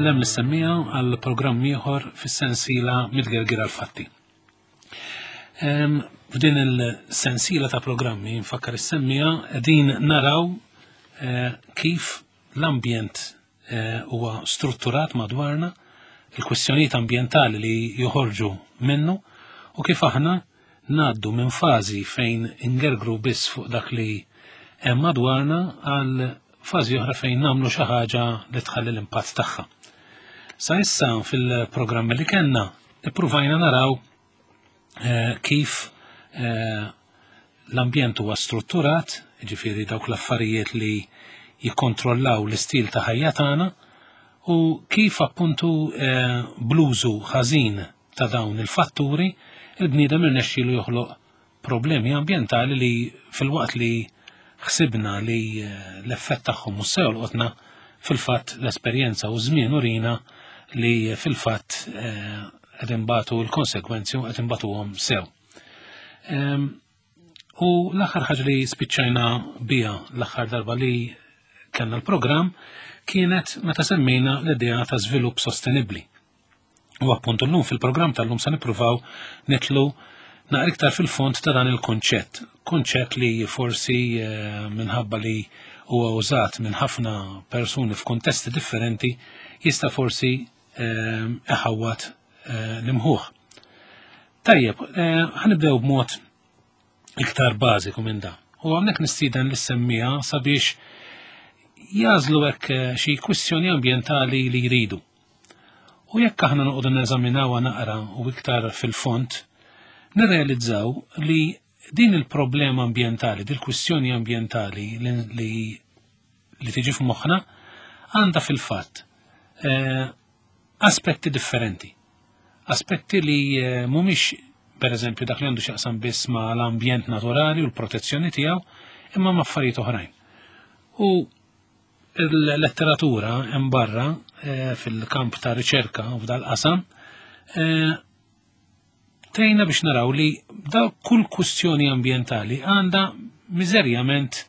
Insellem lis-semmiegħa għal programm ieħor fis-sensiela Mitgergir għal-Fatti. F'din il-sensiela ta' programmi nfakkar is-semmiegħa qegħdin naraw eh, kif l-ambjent eh, huwa strutturat madwarna, il-kwistjonijiet ambjentali li joħorġu minnu u kif aħna ngħaddu minn fażi fejn ingergru biss fuq dak li hemm madwarna għal fażi oħra fejn nagħmlu xi ħaġa li tħalli l-impatt tagħha. Sa issa fil-programmi li kellna ippruvajna naraw eh, kif eh, l-ambjent huwa strutturat, ġifieri dawk l-affarijiet li jikkontrollaw l-istil ta' ħajja tagħna u kif appuntu eh, bluzu ħażin ta' dawn il-fatturi il-bniedem irnexxielu joħloq problemi ambjentali li filwaqt li ħsibna li eh, l-effett tagħhom mhux se jolqotna, fil-fatt l-esperjenza u żmien urina li fil-fatt eh, qed inbatu l-konsekwenzi u qed inbatuhom sew. Ehm, u l-aħħar ħaġa li spiċċajna biha l-aħħar darba li kellna l-programm kienet meta semmejna l-idea ta' żvilupp sostenibbli. U appuntu llum fil-programm tal-lum se nippruvaw nitlu naqra iktar fil-fond ta' dan il-kunċett. Kunċett li forsi eh, minħabba li huwa użat minn ħafna persuni f'kuntesti differenti jista' forsi eh, iħawwad eh, l-imħuħ. Tajjeb, ħanibdew b'mod iktar bażiku minn da. U hawnhekk nistieden lis-semmija sabiex jażlu hekk xi kwistjoni ambjentali li jridu. U jekk aħna noqogħdu neżaminawha naqra u iktar fil-fond, nirrealizzaw li din il-problema ambjentali, din il-kwistjoni ambjentali li, li, li tiġi f'moħħna għandha fil-fatt eh, aspetti differenti. Aspetti li eh, mhumiex per eżempju dak li għandu x'jaqsam biss ma' l-ambjent naturali u l-protezzjoni tiegħu, imma ma' affarijiet oħrajn. U Il-letteratura hemm barra eh, fil-kamp ta' riċerka u f'dal-qasam eh, tgħinna biex naraw li da kull kwistjoni ambjentali għandha miżerjament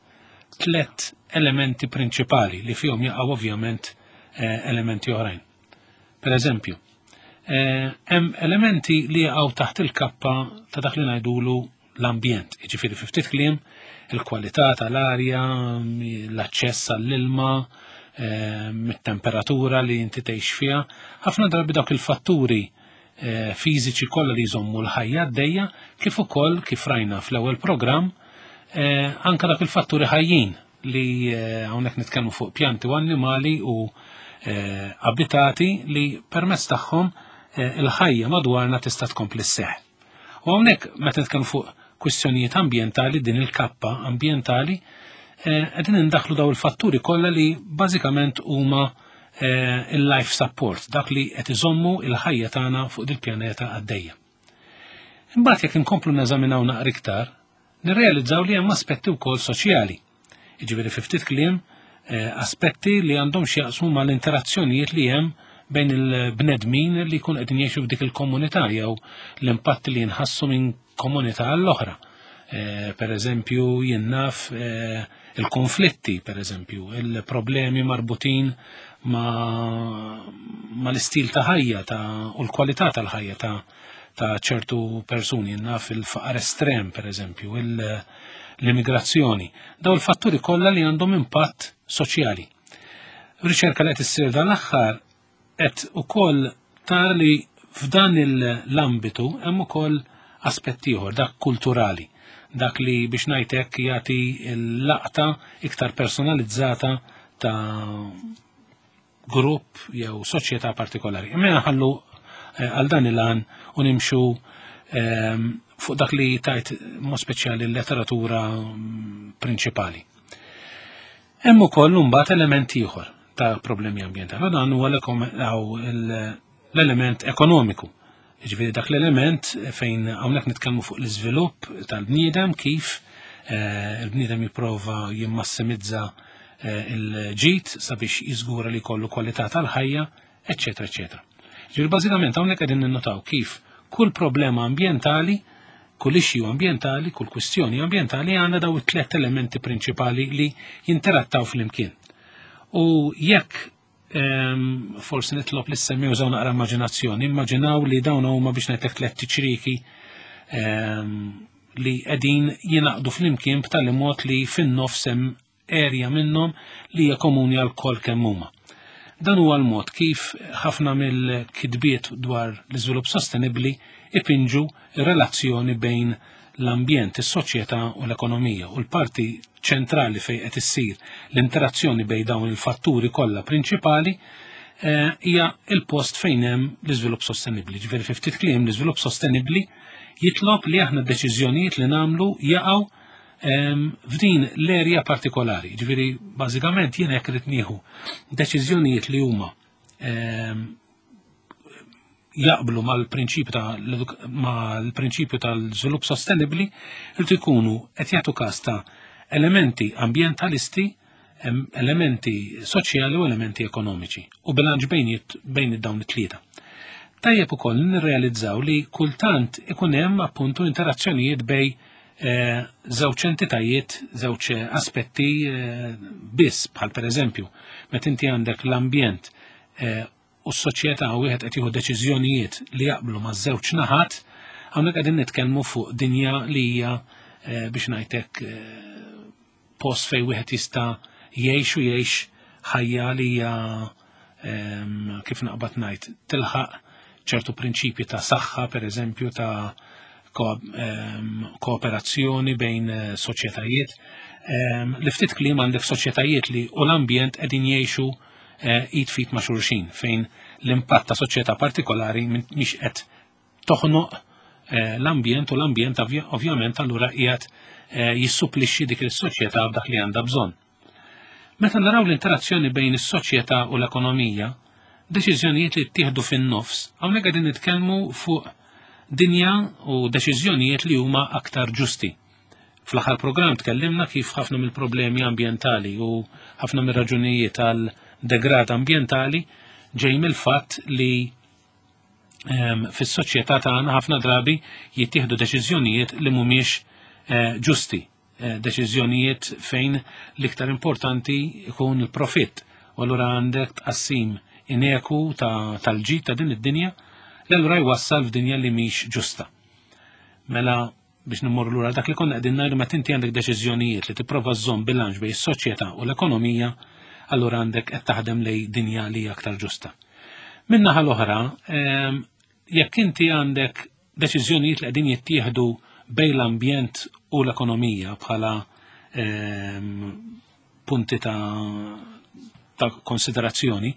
tlet elementi prinċipali li fihom jaqgħu ovvjament eh, elementi oħrajn. Per eżempju, hemm elementi li jaqgħu taħt il-kappa ta' dak li ngħidulu l-ambjent, jiġifieri fi ftit kliem il-kwalità tal-arja, l-aċċess għall-ilma, ehm, it-temperatura li inti tgħix fiha. Ħafna drabi dawk il-fatturi eh, fiżiċi kollha li jżommu l-ħajja għaddejja, kif ukoll kif rajna fl-ewwel programm, eh, anke dak il-fatturi ħajjin li eh, hawnhekk nitkellmu fuq pjanti u annimali u abitati li permezz tagħhom il-ħajja madwarna tista' tkompli sseħħ. U hawnhekk meta nitkellmu fuq kwistjonijiet ambjentali, din il-kappa ambjentali, eh, qegħdin indaħlu daw il-fatturi kollha li bażikament huma eh, il-life support, dak li qed iżommu il-ħajja tagħna fuq dil-pjaneta għaddejja. Imbagħad jekk inkomplu neżaminaw naqra iktar, nirrealizzaw li hemm aspetti wkoll soċjali. Jiġifieri fi ftit kliem eh, aspetti li għandhom x'jaqsmu mal-interazzjonijiet li hemm bejn il-bnedmin li jkun qegħdin jgħixu f'dik il-komunità jew l-impatti li jinħassu minn komunità għall-oħra. Eh, per eżempju, jien naf eh, il-konflitti, per eżempju, il-problemi marbutin ma, ma l-istil ta' ħajja ta' u l-kwalità tal-ħajja ta' ta' ċertu persuni, naf il-faqar estrem, per eżempju, l-immigrazzjoni. Daw il-fatturi kollha li għandhom impatt soċjali. Riċerka li qed issir dan l-aħħar qed ukoll tara li f'dan l-ambitu hemm ukoll aspett ieħor, dak kulturali, dak li biex ngħid hekk jagħti l-laqta iktar personalizzata ta' grupp jew soċjetà partikolari. Imma nħallu eh, għal dan il-għan u nimxu ehm, fuq dak li tajt mod speċjali l-letteratura mm, prinċipali. Hemm ukoll imbagħad element ieħor ta' problemi ambjentali. Dan huwa l-element ekonomiku. Jiġifieri dak l-element fejn hawnhekk nitkellmu fuq l-iżvilupp tal-bniedem kif eh, il-bniedem jipprova jimmassimizza eh, il-ġid sabiex jiżgura li jkollu kwalità tal-ħajja, eċċetera, eċċetera. Ġifieri bażikament hawnhekk qegħdin ninnotaw kif kull problema ambjentali, kull issue ambjentali, kull kwistjoni ambjentali għandha daw it-tlet elementi prinċipali li jinterattaw flimkien. U jekk Forsi nitlob li semmi użaw naqra immaġinazzjoni. Immaġinaw li dawn huma biex ngħidlek tliet tiċriki li qegħdin jingħaqdu flimkien b'tali mod li fin-nofs hemm erja minnhom li hija komuni għal kol kemm huma. Dan huwa l-mod kif ħafna mill-kitbiet dwar l-iżvilupp sostenibbli ipinġu relazzjoni bejn l-ambjent, is-soċjetà u l-ekonomija u l-parti ċentrali fejn qed issir l-interazzjoni bejn dawn il-fatturi kollha prinċipali hija il-post fejn hemm l-iżvilupp sostenibbli. Ġifieri fi ftit kliem l-iżvilupp sostenibbli jitlob li aħna d-deċiżjonijiet li nagħmlu jaqgħu f'din l-erja partikolari. Ġifieri bażikament jiena jekk irid nieħu deċiżjonijiet li huma jaqblu mal-prinċipju ta' mal-prinċipju tal-żvilupp sostenibbli irid ikunu qed jagħtu każ ta' elementi ambjentalisti, elementi soċjali u elementi ekonomiċi u bilanċ bejn dawn it-tlieta. Tajjeb ukoll nirrealizzaw li kultant ikun hemm appuntu interazzjonijiet bejn żewġ entitajiet, żewġ aspetti biss, bħal pereżempju, meta inti għandek l-ambjent u s-soċjetà u wieħed qed jieħu deċiżjonijiet li jaqblu ma' żewġ naħat, hawnhekk qegħdin nitkellmu fuq dinja li hija biex ngħidlek post fejn wieħed jista' jgħix u jgħix ħajja li hija kif naqbad ngħid tilħaq ċertu prinċipji ta' saħħa, per eżempju, ta' kooperazzjoni bejn soċjetajiet. Li ftit kliem għandek soċjetajiet li u l-ambjent qegħdin jgħixu id fit ma' xulxin fejn l-impatt ta' soċjetà partikolari mhix qed toħnoq l-ambjent u l-ambjent ovvjament allura qiegħed jissupplixxi dik is-soċjetà b'dak li għandha bżonn. Meta naraw l-interazzjoni bejn is-soċjetà u l-ekonomija, deċiżjonijiet li ttieħdu fin-nofs, hawnhekk qegħdin nitkellmu fuq dinja u deċiżjonijiet li huma aktar ġusti. Fl-aħħar programm tkellimna kif ħafna mill-problemi ambjentali u ħafna mir-raġunijiet għal degrad ambjentali ġej mill-fatt li fis-soċjetà tagħna ħafna drabi jittieħdu deċiżjonijiet li mhumiex ġusti, deċiżjonijiet fejn l-iktar importanti ikun il-profitt. U allura għandek tqassim ineku tal-ġid ta' din id-dinja li allura jwassal f'dinja li mhix ġusta. Mela biex nimmorru lura dak li konna qegħdin ngħidu, meta inti għandek deċiżjonijiet li tipprova żżomm bilanċ bejn is-soċjetà u l-ekonomija, allura għandek qed taħdem lej dinja li hija aktar ġusta. Min-naħa l-oħra, jekk inti għandek deċiżjonijiet li qegħdin jittieħdu bejn l-ambjent u l-ekonomija bħala punti ta' konsiderazzjoni,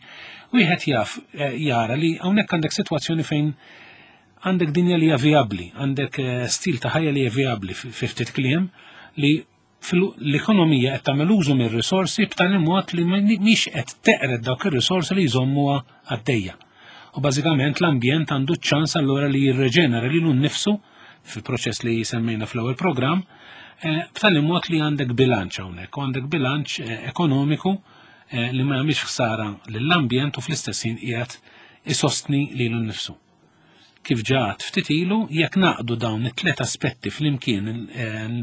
wieħed jaf jara li hawnhekk għandek sitwazzjoni fejn għandek dinja li hija vijabbli, għandek stil ta' ħajja li hija vijabbli fi ftit kliem li l-ekonomija qed tagħmel użu mir-risorsi b'tali mod li mhix qed teqred dawk ir-risorsi li jżommuha għaddejja. U bażikament l-ambjent għandu ċ-ċans allura li jirreġenera lilu nnifsu fil-proċess li semmejna fl-ewwel programm, b'tali mod li għandek bilanċ hawnhekk, u għandek bilanċ ekonomiku li ma jagħmilx ħsara lill-ambjent u fl-istess ħin qiegħed isostni lilu nnifsu. Kif ġaħat ftit ilu, jekk naqdu dawn it-tlet aspetti flimkien,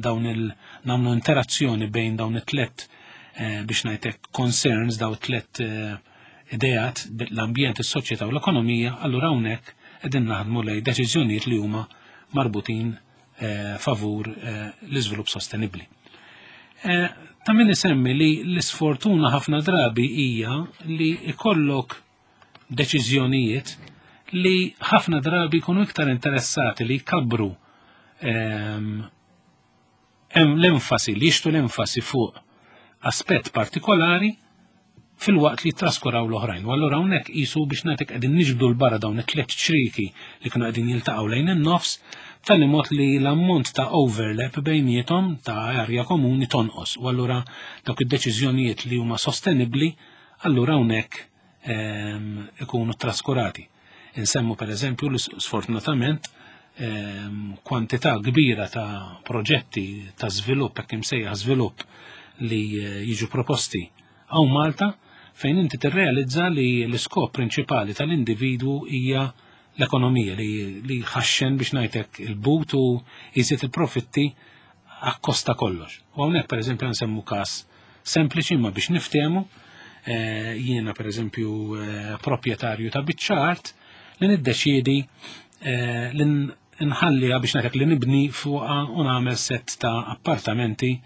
dawn il nagħmlu interazzjoni bejn dawn it-tlet biex ngħidlek concerns, dawn it-tlet ideat, l-ambjent, is-soċjetà u l-ekonomija, allura hawnhekk qegħdin naħdmu lejn deċiżjonijiet li huma marbutin favur l-iżvilupp sostenibbli. Ta' min isemmi li l-isfortuna ħafna drabi hija li ikollok deċiżjonijiet li ħafna drabi jkunu iktar interessati li jkabbru l-enfasi, li jixtu l-enfasi fuq aspett partikolari fil-waqt li traskuraw l-oħrajn. U allura hawnhekk qisu biex nagħtik qegħdin niġbdu 'l barra dawn it-tliet ċriki li kienu qegħdin jiltaqgħu lejn in-nofs, b'tali mod li l-ammont ta' overlap bejniethom ta' arja komuni tonqos. U allura dawk id-deċiżjonijiet li huma sostenibbli allura hawnhekk ikunu traskurati. Insemmu per eżempju li sfortunatament kwantità kbira ta' proġetti ta' żvilupp, hekk imsejjaħ żvilupp, li jiġu proposti hawn Malta, fejn inti tirrealizza li l-iskop prinċipali tal-individwu hija l-ekonomija li ħaxxen biex ngħidlek il-but u jżid il-profitti akkosta kollox. U hawnhekk pereżempju nsemmu każ sempliċi ma biex niftehmu. eh, jiena pereżempju eh, proprjetarju ta' biċċa art li niddeċiedi eh, li nħalliha biex ngħidlek li nibni fuqha u nagħmel set ta' appartamenti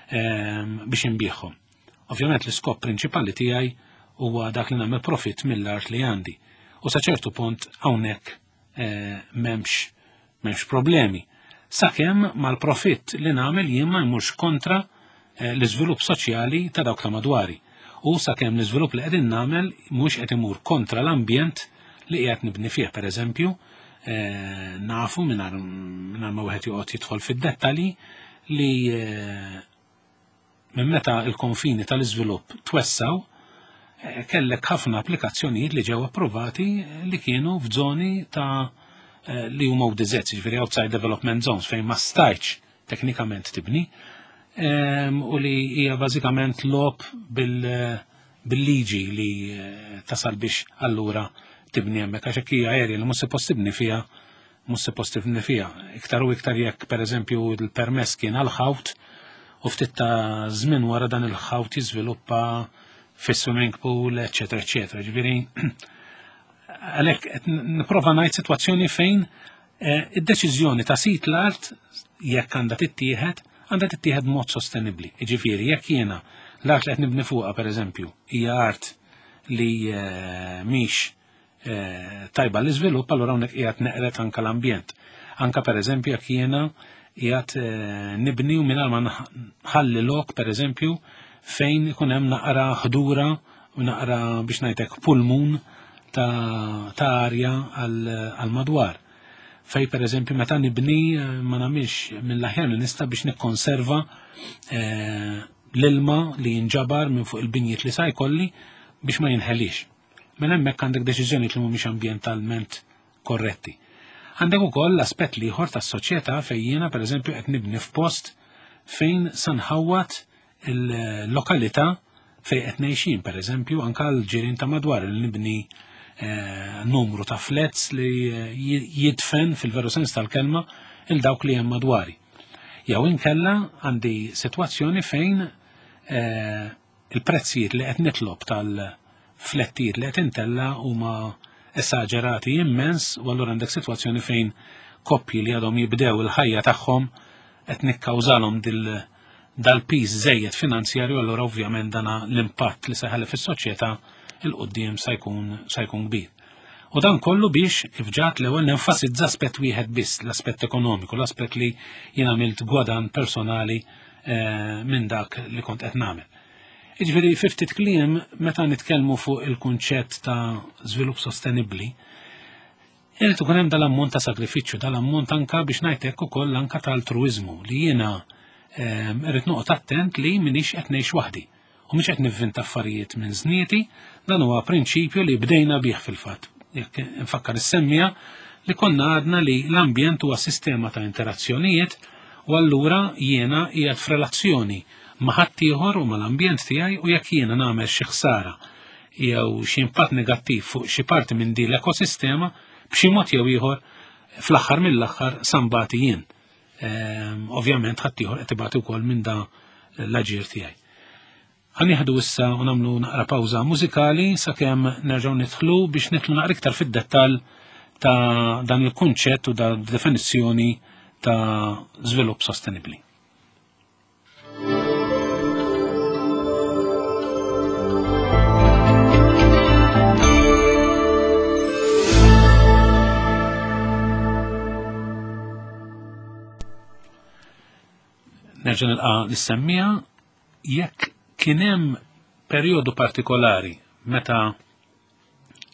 biex inbiegħhom. Ovvjament l-iskop prinċipali tiegħi huwa dak li nagħmel profitt mill-art li għandi. U sa ċertu punt hawnhekk eh, m'hemmx m'hemmx problemi. Sakemm mal-profitt li nagħmel jien ma jmurx kontra eh, l-iżvilupp soċjali ta' dawk ta' madwari. U sakemm l-iżvilupp li qegħdin nagħmel mhux qed imur kontra l-ambjent li qiegħed nibni fih, pereżempju, eh, nafu mingħajr ma wieħed joqgħod jidħol fid-dettalji li Minn meta l-konfini tal-iżvilupp twessgħu, eh, kellek ħafna applikazzjonijiet li ġew approvati eh, li kienu f'żoni ta' eh, li huma ODZ, ġifieri outside development zones fejn ma stajtx teknikament tibni ehm, u li hija bażikament lob bil-liġi li tasal biex allura tibni hemmhekk għax hekk hija area li mhux suppost tibni fiha mhux suppost tibni fiha. Iktar u iktar jekk pereżempju l-permess kien għal ħawt u ftit ta' żmien wara dan il-ħawt jiżviluppa fi swimming pool, eċetera, eċetera. Ġifieri għalhekk qed nipprova ngħid sitwazzjoni fejn eh, id-deċiżjoni ta' sit l-art jekk għandha tittieħed, għandha tittieħed b'mod sostenibbli. Ġifieri jekk jiena l-art li qed nibni fuqha pereżempju hija art li eh, mhix Eh, tajba l-iżvilupp, allura hawnhekk qiegħed neqret anka l-ambjent. Anka pereżempju jekk jiena qiegħed eh, nibni u mingħajr ma nħalli lok pereżempju fejn ikun hemm naqra ħdura u naqra biex ngħidlek pulmun ta' arja għal madwar. Fej pereżempju meta nibni eh, ma nagħmilx mill-aħjar li nista' biex nikkonserva l-ilma li jinġabar minn fuq il-binjiet li sa jkolli biex ma jinħelix. Mela hemmhekk għandek deċiżjonijiet li mhumiex ambjentalment korretti. Għandek ukoll l-aspett l-ieħor tas-soċjetà fejn jiena pereżempju qed nibni f'post fejn sa nħawwad il-lokalità fejn qed ngħixin, pereżempju anke l-ġirien ta' madwar li nibni eh, numru ta' flats li eh, jidfen fil-veru sens tal-kelma il dawk li hemm madwari. Jew inkella għandi sitwazzjoni fejn eh, Il-prezzijiet li qed nitlob tal-flettijiet li qed intella' huma esaġerati immens u allura għandek sitwazzjoni fejn koppji li għadhom jibdew il-ħajja tagħhom qed nikkawżalhom dal-piż żejjed finanzjarju allura ovvjament dana l-impatt li se jħalli fis-soċjetà il quddiem sa jkun sa jkun kbir. U dan kollu biex kif ġat l-ewwel nenfasizza aspett wieħed biss, l-aspett ekonomiku, l-aspett li jien għamilt gwadan personali Eh, minn dak li kont qed nagħmel. Jiġifieri fi ftit kliem meta nitkellmu fuq il-kunċett ta' żvilupp sostenibbli, irid ikun hemm dal-ammont ta' sagrifiċċju, dal-ammont anka biex ngħid hekk ukoll anka ta' altruiżmu li jiena ehm, irrid noqgħod attent li minix qed ngħix waħdi u mhux qed nivvinta affarijiet minn żnieti, dan huwa prinċipju li bdejna bih fil-fatt. Jekk nfakkar is-semmija li konna għadna li l-ambjent huwa sistema ta' interazzjonijiet u allura jiena qiegħed f'relazzjoni ma' ħaddieħor u mal-ambjent tiegħi u jekk jiena nagħmel xi ħsara jew xi impatt negattiv fuq xi parti minn din l-ekosistema b'xi mod jew ieħor fl-aħħar mill-aħħar sambati jien. Ehm, ovvjament ħaddieħor qed ibati wkoll minn da l-aġir tiegħi. Ħanieħdu issa u nagħmlu naqra pawża mużikali sakemm nerġgħu nidħlu biex nidħlu naqra iktar fid-dettall ta' dan il-kunċett u da' definizzjoni ta' żvilupp sostenibbli. Nerġa' nilqa' l-semmija jekk kien hemm perjodu partikolari meta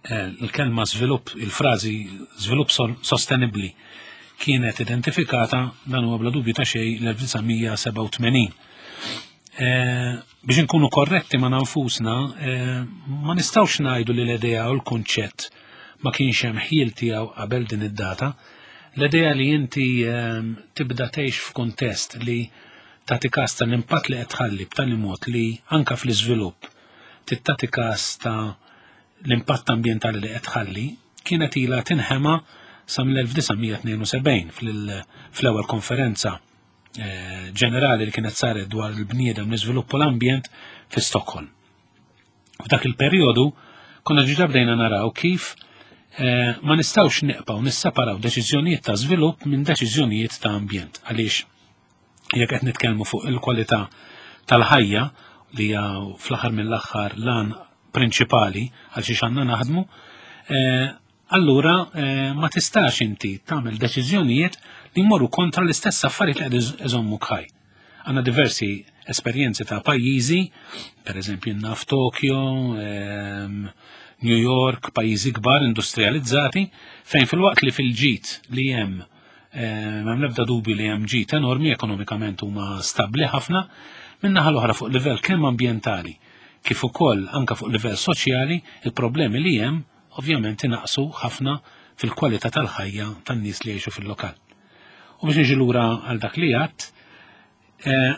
eh, l-kelma żvilupp, il-frażi żvilupp sostenibbli kienet identifikata dan huwa bla dubju ta' xejn l-1987. Eh, biex inkunu korretti ma' nfusna, eh, ma nistgħux ngħidu li l-idea u l-kunċett ma kienx hemm ħjiel tiegħu qabel din id-data. L-idea li inti tibda tgħix f'kuntest li tagħti każ tal-impatt li qed tħalli b'tali mod li anka fl-iżvilupp tagħti każ ta' l-impatt ambjentali li qed tħalli kienet ilha tinħema sa mill-1972 fl-ewwel konferenza eh, ġenerali li kienet saret dwar il-bniedem l-iżvilupp u l-ambjent fi Stockholm. F'dak il-perjodu konna ġiġa bdejna naraw kif eh, ma nistgħux neqpaw nisseparaw deċiżjonijiet ta' żvilupp minn deċiżjonijiet ta' ambjent għaliex jekk qed nitkellmu fuq il-kwalità tal-ħajja li hija fl-aħħar mill-aħħar lan prinċipali għal xiex għandna naħdmu, eh, allura eh, ma tistax inti tagħmel deċiżjonijiet li jmorru kontra l-istess affarijiet li qed iżommu ħaj. Għandna diversi esperjenzi ta' pajjiżi, per eżempju naf Tokyo, ehm, New York, pajjiżi kbar industrializzati, fejn fil-waqt li fil-ġit li hemm eh, m'hemm l-ebda dubju li hemm ġid enormi ekonomikament huma stabbli ħafna, min-naħa l-oħra fuq livell kemm ambjentali kif ukoll anka fuq livell soċjali, il-problemi li hemm ovvjament inaqsu ħafna fil-kwalità tal-ħajja tan-nies li jgħixu fil-lokal. U biex niġi lura għal dak li għadt, eh,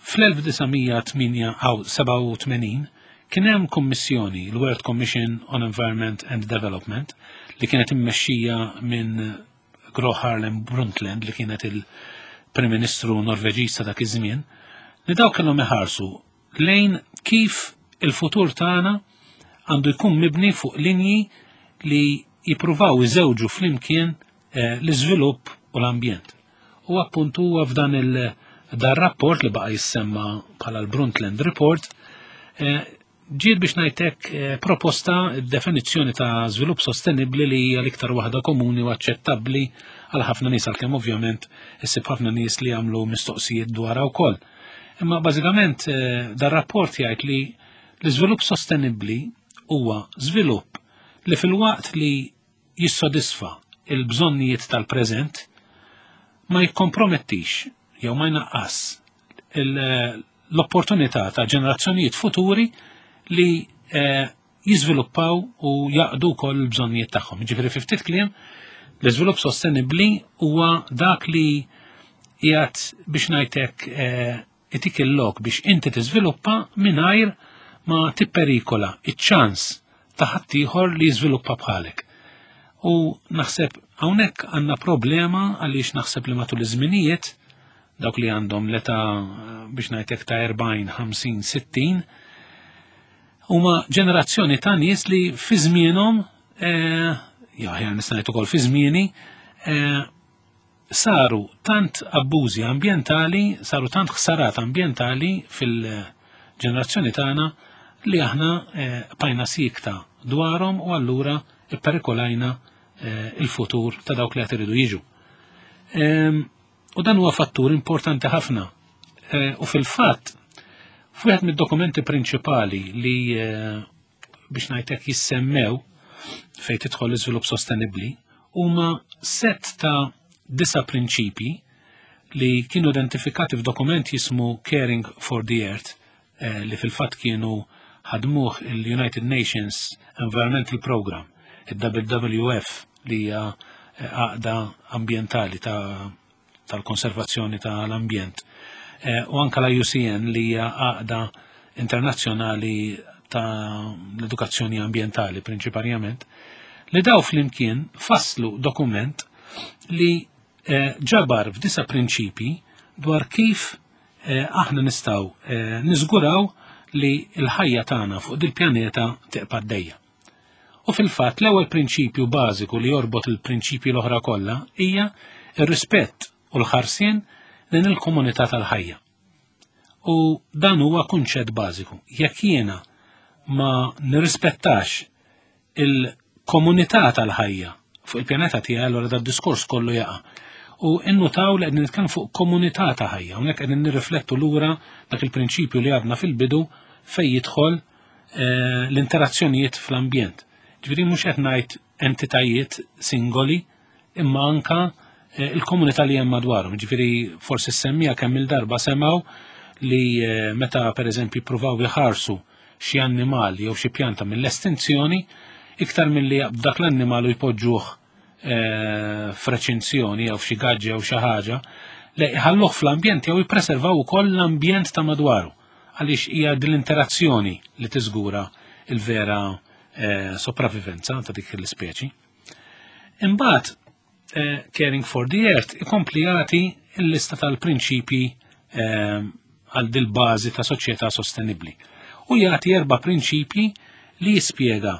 fl-1987 kien hemm kummissjoni, l-World Commission on Environment and Development, li kienet immexxija minn Gro Harlem Brundtland li kienet il-Prim Ministru Norveġiż ta' dak iż-żmien, li dawk kellhom iħarsu lejn kif il-futur tagħna għandu jkun mibni fuq linji li jippruvaw iżewġu flimkien eh, l-iżvilupp u l-ambjent. U appuntu huwa f'dan il- dar rapport li baqa jissemma bħala l-Brundtland Report, eh, ġiet biex ngħidlek eh, proposta definizzjoni ta' żvilupp sostenibbli li hija l-iktar waħda komuni u aċċettabbli għal ħafna nies għalkemm ovvjament issib ħafna nies li jagħmlu mistoqsijiet dwarha wkoll. Imma bażikament eh, dar rapport jgħid li l-iżvilupp sostenibbli huwa żvilupp li fil-waqt li jissodisfa il-bżonnijiet tal-preżent ma jikkompromettix jew ma jnaqqas l-opportunità ta' ġenerazzjonijiet futuri li eh, jiżviluppaw u jaqdu wkoll il-bżonnijiet tagħhom. Ġifieri fi ftit kliem, l-iżvilupp sostenibbli huwa dak li qiegħed biex ngħidlek eh, itik il-lok biex inti tiżviluppa mingħajr ma tipperikola iċ-ċans ta' ħaddieħor li jiżviluppa bħalek. U naħseb hawnhekk għandna problema għaliex naħseb li matul iż-żminijiet dawk li għandhom l-età biex ngħidlek ta' 40, 50, 60 huma ġenerazzjoni ta' nies li fi żmienhom eh, ja ħjar nista' ngħid ukoll fi żmieni eh, saru tant abbużi ambjentali, saru tant ħsarat ambjentali fil-ġenerazzjoni tagħna li aħna eh, bqajna siekta dwarhom u allura ipperikolajna il-futur ta' dawk li qed iridu jiġu. Ehm, U dan huwa fattur importanti ħafna. Eh, u fil-fatt, f'wieħed mid-dokumenti prinċipali li eh, biex ngħidlek jissemmew fejn tidħol l-iżvilupp sostenibbli huma set ta' disa prinċipi li kienu identifikati f'dokument jismu Caring for the Earth eh, li fil-fatt kienu ħadmuh il-United Nations Environmental Program, il-WWF li hija eh, għaqda ambjentali tal-konservazzjoni tal-ambjent. Eh, u anka la UCN li hija għaqda internazzjonali ta' l-edukazzjoni ambjentali prinċiparjament, li daw flimkien fasslu dokument li eh, ġabar f'disa prinċipi dwar kif eh, aħna nistgħu eh, niżguraw li l-ħajja tagħna fuq dil-pjaneta tibqa' għaddejja. U fil-fatt l-ewwel prinċipju bażiku li jorbot il-prinċipji l-oħra kollha hija r-rispett u l-ħarsien lejn il-komunità tal-ħajja. U dan huwa kunċett bażiku. Jekk jiena ma nirrispettax il-komunità tal-ħajja fuq il-pjaneta tiegħi allura da diskors kollu jaqa'. U innutaw li qegħdin nitkellmu fuq komunità ta' ħajja, hawnhekk qegħdin nirriflettu lura dak il-prinċipju li għadna fil-bidu fejn jidħol eh, l-interazzjonijiet fl-ambjent. Ġifieri mhux qed ngħid entitajiet singoli, imma anka eh, il-komunità li hemm madwarhom. Ġifieri forsi semmija kemm il-darba semgħu li eh, meta pereżempju jippruvaw iħarsu xi annimal jew xi pjanta mill-estinzjoni, iktar milli jaqbdu dak l-annimal u jpoġġuh eh, f'reċinzjoni jew f'xi gaġġa jew xi ħaġa, le jħalluh fl-ambjent jew jippreservaw ukoll l-ambjent ta' madwaru għaliex hija din l-interazzjoni li tiżgura il-vera eh, sopravivenza ta' dik l-ispeċi. Imbagħad eh, Caring for the Earth ikompli jagħti l-lista tal-prinċipji eh, għal dil-bażi ta' soċjetà sostenibbli. U jagħti erba' prinċipji li jispjega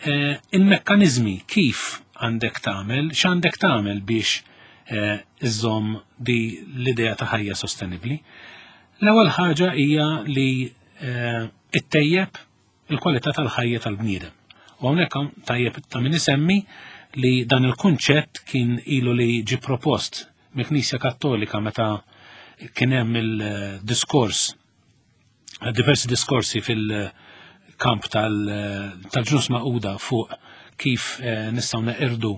eh, il-mekkaniżmi kif għandek tagħmel, x'għandek tagħmel biex eh, iżżomm di l-idea ta' ħajja sostenibbli. L-ewwel ħaġa hija li eh, ittejjeb il-kwalità tal-ħajja tal-bniedem. U hawnhekk tajjeb ta' min isemmi li dan il-kunċett kien ilu li ġi propost mill-Knisja Kattolika meta kien hemm il-diskors diversi diskorsi fil-kamp tal-ġnus maquda fuq kif eh, nistgħu neqirdu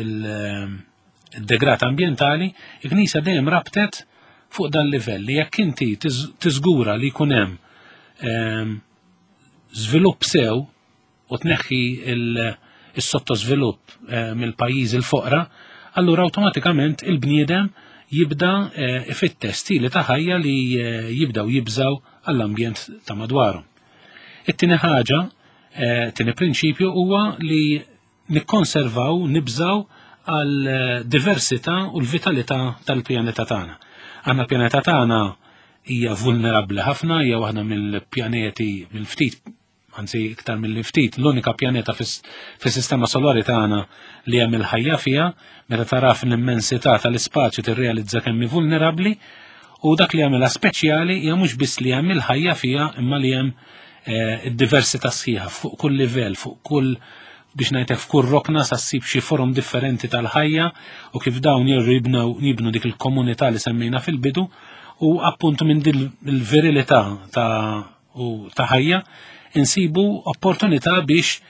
il-degrat ambjentali, il-Knisja dejjem rabtet fuq dan livell li jekk inti tiżgura li jkun hemm ehm, żvilupp sew u tneħħi il-sottosvilupp eh, mill-pajjiżi l-foqra, allura awtomatikament il-bniedem jibda eh, ifittex stili ta' ħajja li eh, jibdaw jibżaw għall-ambjent ta' madwarhom. It-tieni ħaġa, tieni prinċipju huwa li nikkonservaw, nibżaw għal diversità u l-vitalità tal-pjaneta tagħna. Għandna pjaneta tagħna hija vulnerabbli ħafna, hija waħda mill-pjaneti mill-ftit anzi iktar mill ftit, l-unika pjaneta fis-sistema solari tagħna li hemm il-ħajja fiha, meta taraf l-immensità tal-ispazju tirrealizza kemm hi vulnerabbli, u dak li jagħmilha speċjali hija mhux biss li hemm il-ħajja fiha imma li hemm eh, id-diversità sħiħa fuq kull livell, fuq kull biex ngħidlek f'kull rokna sa ssib xi forom differenti tal-ħajja u kif dawn jirru jibnu dik il-komunità li semmejna fil-bidu u appuntu minn din il-virilità ta' u ta' ħajja, insibu opportunità biex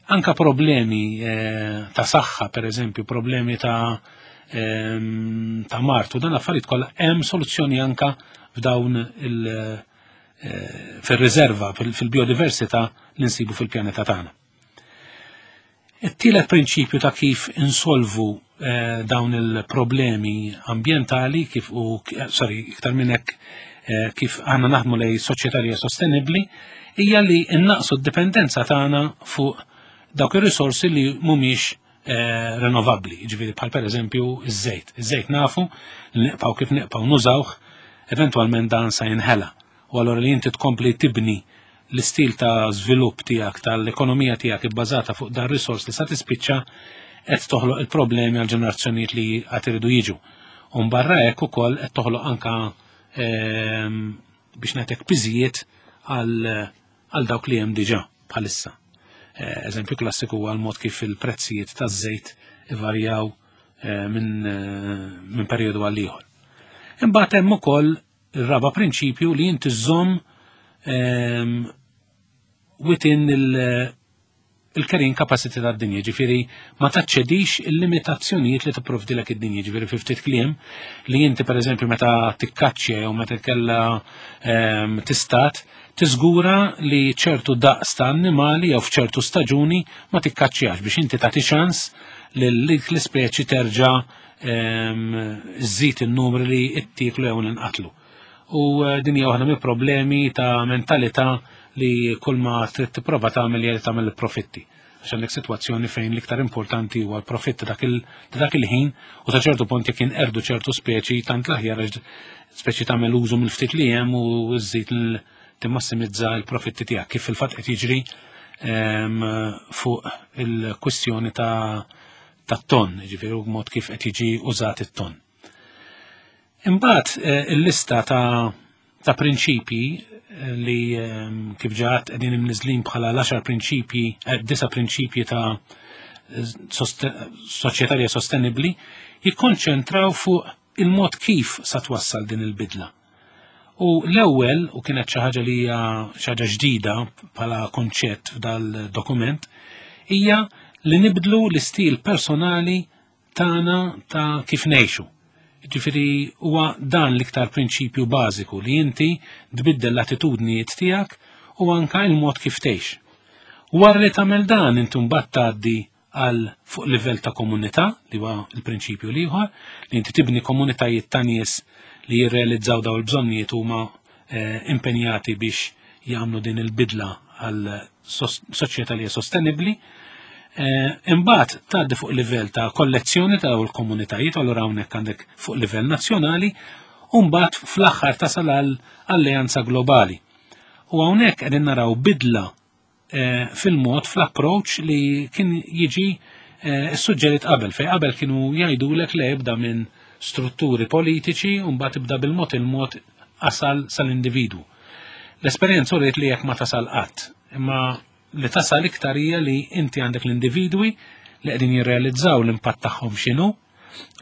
anka problemi eh, ta' saħħa, per eżempju, problemi ta' ehm, ta' mart u dan affarijiet kollha hemm soluzzjoni anka f'dawn il eh, fir-riserva fil-biodiversità li nsibu fil-pjaneta tagħna. It-tielet prinċipju ta' kif insolvu eh, dawn il-problemi ambjentali kif u eh, sorry, iktar minn hekk eh, kif għandna naħdmu lej soċjetà li hija sostenibbli hija li innaqsu d-dipendenza tagħna fuq dawk ir-risorsi li mhumiex eh, renovabbli, ġifieri bħal pereżempju iż-żejt. Iż-żejt nafu li neqpaw kif neqpaw nużawh, eventwalment dan sa jinħela. U allura li inti tkompli tibni l-istil ta' żvilupp tiegħek tal-ekonomija tiegħek ibbażata fuq dan risors li sa tispiċċa qed toħloq il-problemi għal ġenerazzjonijiet li għad iridu jiġu. U barra hekk ukoll qed toħloq anka ehm, biex ngħidlek piżijiet għal dawk li hemm diġà bħalissa. Eh, eżempju klassiku huwa l-mod kif il-prezzijiet taż-żejt ivarjaw eh, minn eh, min perjodu għal ieħor. Imbagħad hemm ukoll Ir-raba' prinċipju li inti żżomm ehm, within il-carrying capacity tad-dinja, ġifieri ma taċċedix il-limitazzjonijiet li tipprovdilek id-dinja, ġifieri fi ftit kliem li inti pereżempju meta tikkaċċja jew meta tkella ehm, tistat, tiżgura li ċertu daqs ta' annimali jew f'ċertu staġuni ma tikkaċċjax biex inti tagħti ċans li l-ispeċi terġa' żżid in-numri li ttieklu jew ninqatlu. U eh, din hija waħda mill-problemi ta' mentalità li kull ma trid tipprova tagħmel hija li tagħmel il-profitti. Għax għandek sitwazzjoni fejn l-iktar importanti huwa l-profitt ta' dak il-ħin u ta' ċertu punt jekk inqerdu ċertu speċi tant l-aħjar għax speċi tagħmel użu mill-ftit li hemm u żżid timmassimizza l-profitti tiegħek kif fil-fatt qed jiġri fuq il-kwistjoni ta' tat-ton, ġifieri u mod kif qed jiġi użat it-ton. Imbagħad eh, il-lista ta' ta' prinċipji eh, li ehm, kif ġaħat qegħdin imniżlin bħala l-10 prinċipji, eh, disa prinċipji ta' soċjetà li sostenibbli, jikkonċentraw fuq il-mod kif sa twassal din il-bidla. U l-ewwel, u kienet xi ħaġa li hija xi ħaġa ġdida bħala konċett f'dal-dokument, hija li nibdlu l-istil personali tagħna ta' kif ngħixu. Ġifieri huwa dan l-iktar prinċipju bażiku li inti tbiddel l-attitudnijiet tiegħek u anka il-mod kif tgħix. Wara li tagħmel dan inti mbagħad tgħaddi għal fuq livell ta' komunità, li huwa l-prinċipju l-ieħor, li inti tibni komunitajiet ta' nies li jirrealizzaw daw il-bżonnijiet huma eh, impenjati biex jagħmlu din il-bidla għal soċjetà li hija sostenibbli. Eh, imbagħad tgħaddi fuq livell ta' kollezzjoni ta' dawn il-komunitajiet, allura hawnhekk għandek fuq livell nazzjonali, u mbagħad fl-aħħar tasal għal alleanza globali. U hawnhekk qegħdin naraw bidla eh, fil-mod fl-approach li kien jiġi eh, suġġerit qabel, fej qabel kienu jgħidulek li jibda minn strutturi politiċi u mbagħad ibda bil-mod il-mod asal sal-individwu. L-esperjenza uriet li jekk ma tasal qatt, imma li tasal iktar hija li inti għandek l-individwi li qegħdin jirrealizzaw l-impatt tagħhom x'inhu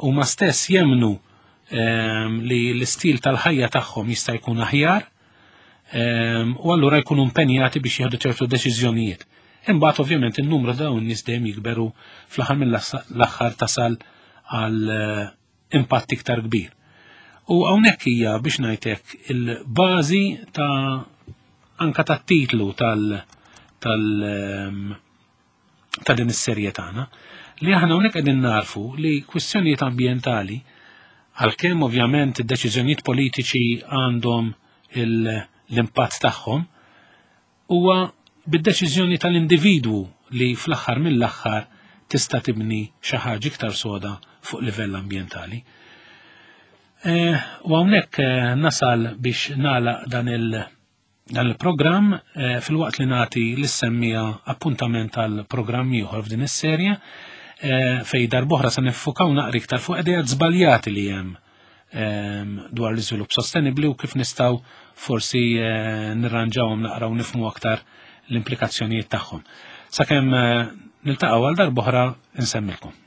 u ma stess jemnu ehm, li l-istil tal-ħajja tagħhom jista' jkun aħjar ehm, u allura jkunu impenjati biex jieħdu ċertu deċiżjonijiet. Imbagħad ovvjament in-numru ta' dawn nies dejjem jikberu fl-aħħar mill-aħħar tasal għal eh, impatt iktar kbir. U hawnhekk hija biex ngħidlek il-bażi ta' anka tat-titlu tal tal ehm, ta' din is-serje tagħna li aħna hawnhekk qegħdin narfu li kwistjonijiet ambjentali għalkemm ovvjament id-deċiżjonijiet politiċi għandhom l-impatt tagħhom huwa bid-deċiżjoni tal-individwu li fl-aħħar mill-aħħar tista' tibni xi ħaġa iktar soda fuq livell ambjentali. Eh, u hawnhekk eh, nasal biex nagħlaq dan il- dan il-programm eh, fil-waqt li nagħti lis-semmija appuntament għal programm ieħor f'din is-serje fej darbohra se niffukaw naqri iktar fuq idejat żbaljati li hemm dwar l-iżvilupp sostenibbli u kif nistgħu forsi eh, nirranġawhom naqraw nifhmu aktar l-implikazzjonijiet tagħhom. Sakemm eh, niltaqgħu għal darb'oħra insemmilkom.